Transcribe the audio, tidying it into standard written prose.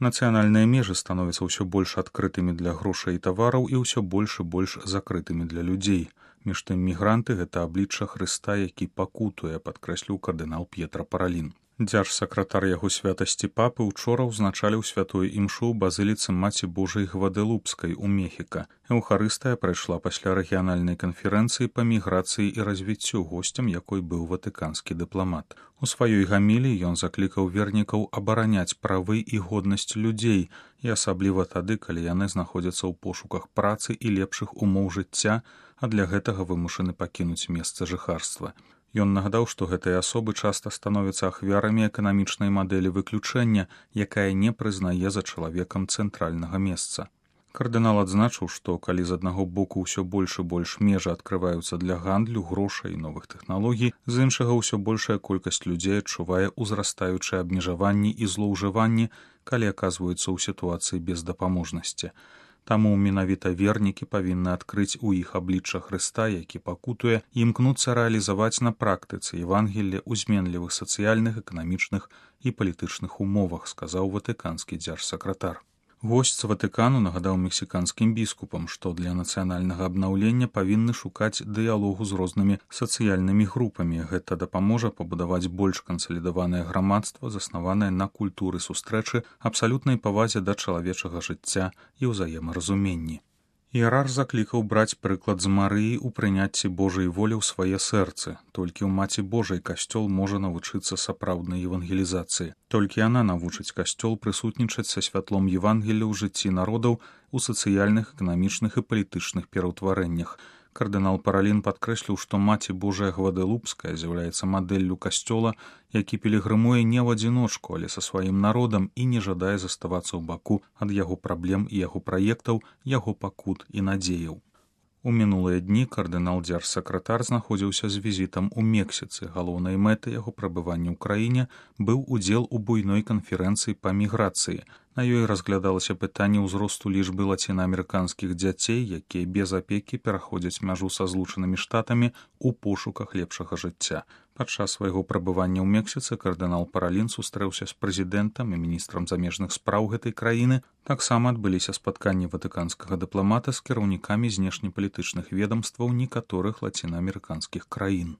Нацыянальныя межы становяцца ўсё больш адкрытымі для грошай і тавараў і ўсё больш і больш закрытымі для людзей. Між тым мігранты гэта аблічча Хрыста, які пакутуе, падкрэсліў кардынал П'етра Паралін. Дзяржсакратар яго святасці папы ўчора ўзначаліў святую імшу ў базыліцы Маці Божай Гваделупскай у Мехіка. Еўхарыстыя прайшла пасля рэгіянальнай канферэнцыі па міграцыі і развіццю, госцем якой быў ватыканскі дыпламат. У сваёй гаміліі ён заклікаў вернікаў абараняць правы і годнасць людзей, і асабліва тады, калі яны знаходзяцца ў пошуках працы і лепшых умоў жыцця, а для гэтага вымушаны пакінуць месца жыхарства. Ён нагадаў, што гэтыя асобы часта становяцца ахвярамі эканамічнай мадэлі выключэння, якая не прызнае за чалавекам цэнтральнага месца. Кардынал адзначыў, што калі з аднаго боку ўсё больш і больш межы адкрываюцца для гандлю, грошай і новых тэхналогій, з іншага ўсё большая колькасць людзей адчувае ўзрастаючыя абмежаванні і злоўжыванні, калі аказваюцца ў сітуацыі бездапаможнасці. Таму менавіта вернікі павінны адкрыць у іх аблічча Хрыста, які пакутуе, і імкнуцца рэалізаваць на практыцы Евангелле ў зменлівых сацыяльных, эканамічных і палітычных умовах, сказаў ватыканскі дзяржсакратар. Госць з Ватыкану нагадаў мексіканскім біскупам, што для нацыянальнага абнаўлення павінны шукаць дыялогу з рознымі сацыяльнымі групамі. Гэта дапаможа пабудаваць больш кансалідаванае грамадства, заснаванае на культуры сустрэчы, абсалютнай павазе да чалавечага жыцця і ўзаемаразуменні. Іерарх заклікаў браць прыклад з Марыі ў прыняцці Божай волі ў свае сэрцы. Толькі ў Маці Божай касцёл можа навучыцца сапраўднай евангелізацыі. Толькі яна навучыць касцёл прысутнічаць са святлом Евангелля ў жыцці народаў у сацыяльных, эканамічных і палітычных пераўтварэннях. Кардынал Паралін падкрэсліў, што Маці Божая Гваделупская з'яўляецца мадэллю касцёла, які пілігрымуе не ў адзіночку, але са сваім народам і не жадае заставацца ў баку ад яго праблем і яго праектаў, яго пакут і надзеяў. У мінулыя дні кардынал дзяржсакратар знаходзіўся з візітам у Мексіцы. Галоўнай мэтай яго прабывання ў краіне быў удзел у буйной канферэнцыі па міграцыі. На ёй разглядалася пытанне ўзросту лічбы лацінаамерыканскіх дзяцей, якія без апекі пераходзяць мяжу са Злучанымі Штатамі ў пошуках лепшага жыцця. Падчас свайго прабывання ў Мексіцы кардынал Паралін сустрэўся з прэзідэнтам і міністрам замежных спраў гэтай краіны. Таксама адбыліся спатканні ватыканскага дыпламата з кіраўнікамі знешнепалітычных ведамстваў некаторых лацінаамерыканскіх краін.